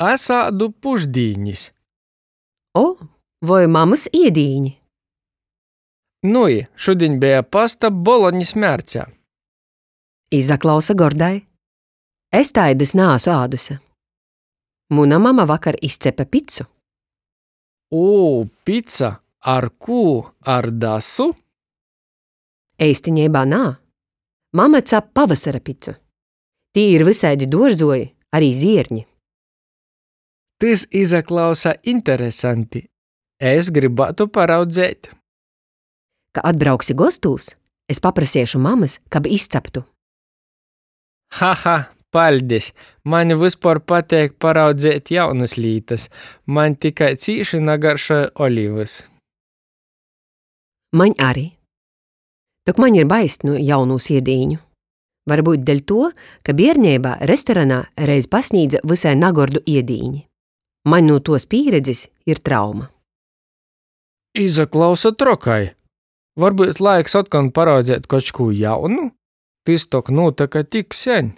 Es ādu pušdīnis. O, voi mamys iedīņi? Nui, šudiņ beja pasta boloņis mērcē. Izaklausa gordai. Es taidys naasu āduse. Muna mama vakar izcepe picu. Ū, pica! Ar kū? Ar dasu? Eistineibā nā. Mama cap pavasara picu. Tī ir vysaidi duorzuoji, ari zierņi. Tys izaklausa interesanti. Es grybātu paraudzeit. Ka atbrauksi gostūs, es paprasiešu mamys, kab izcaptu. Haha, paļdis! Maņ vyspuor pateik paraudzeit jaunys lītys. Maņ tikai cīši nagaršoj olivys. Maņ ari. Tok maņ ir baist nu jaunūs iedīņu. Varbyut deļtuo, ka bierneibā restoranā reiz pasnīdze vysai nagordu iedīni. Maņ nu tuos pīredzis ir trauma. Izaklausa trokai. Varbyut laiks otkon paraudzeit koč kū jaunu? Tys tok nūtyka tik seņ.